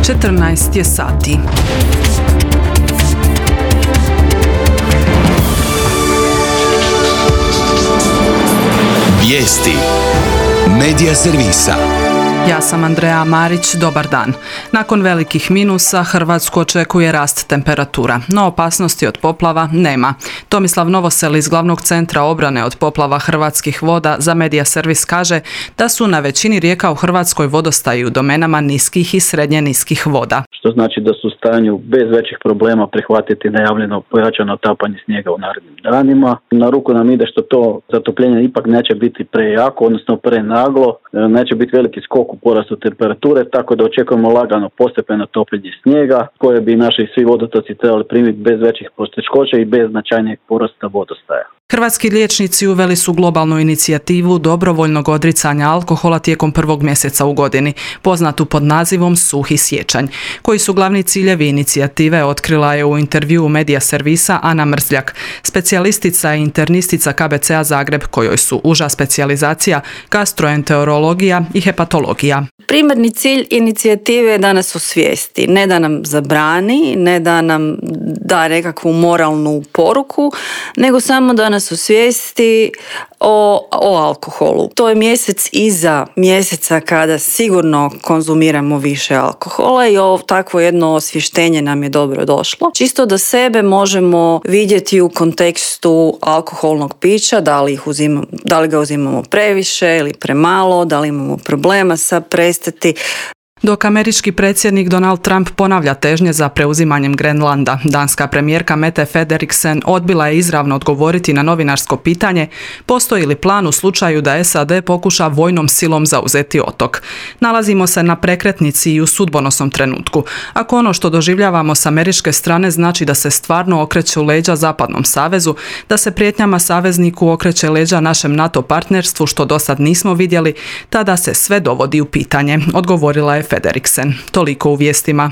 14 je sati. Vijesti Medija servisa. Ja sam Andreja Marić, dobar dan. Nakon velikih minusa Hrvatsku očekuje rast temperatura, no opasnosti od poplava nema. Tomislav Novosel iz Glavnog centra obrane od poplava Hrvatskih voda za Medija servis kaže da su na većini rijeka u Hrvatskoj vodostaji u domenama niskih i srednje niskih voda. Što znači da su u stanju bez većih problema prihvatiti najavljeno pojačano otapanje snijega u narednim danima. Na ruku nam ide što to zatopljenje ipak neće biti prejako, odnosno prenaglo, neće biti veliki skok u porastu temperature, tako da očekujemo lagano postepeno topljenje snijega koje bi naši svi vodotoci trebali primiti bez većih poteškoća i bez značajnijeg porasta vodostaja. Hrvatski liječnici uveli su globalnu inicijativu dobrovoljnog odricanja alkohola tijekom prvog mjeseca u godini, poznatu pod nazivom Suhi siječanj. Koji su glavni ciljevi inicijative otkrila je u intervjuu Medija servisa Ana Mrzljak, specijalistica i internistica KBC-a Zagreb, kojoj su uža specijalizacija gastroenterologija i hepatologija. Primarni cilj inicijative je da nas osvijesti, ne da nam zabrani, ne da nam da nekakvu moralnu poruku, nego samo da nas osvijesti o alkoholu. To je mjesec iza mjeseca kada sigurno konzumiramo više alkohola i takvo jedno osvještenje nam je dobro došlo. Čisto da sebe možemo vidjeti u kontekstu alkoholnog pića, da li ga uzimamo previše ili premalo, da li imamo problema sa prestati. Dok američki predsjednik Donald Trump ponavlja težnje za preuzimanjem Grenlanda, danska premijerka Mette Frederiksen odbila je izravno odgovoriti na novinarsko pitanje postoji li plan u slučaju da SAD pokuša vojnom silom zauzeti otok. Nalazimo se na prekretnici i u sudbonosnom trenutku. Ako ono što doživljavamo s američke strane znači da se stvarno okreće leđa Zapadnom savezu, da se prijetnjama savezniku okreće leđa našem NATO partnerstvu što dosad nismo vidjeli, tada se sve dovodi u pitanje, odgovorila je Frederiksen. Toliko u vijestima.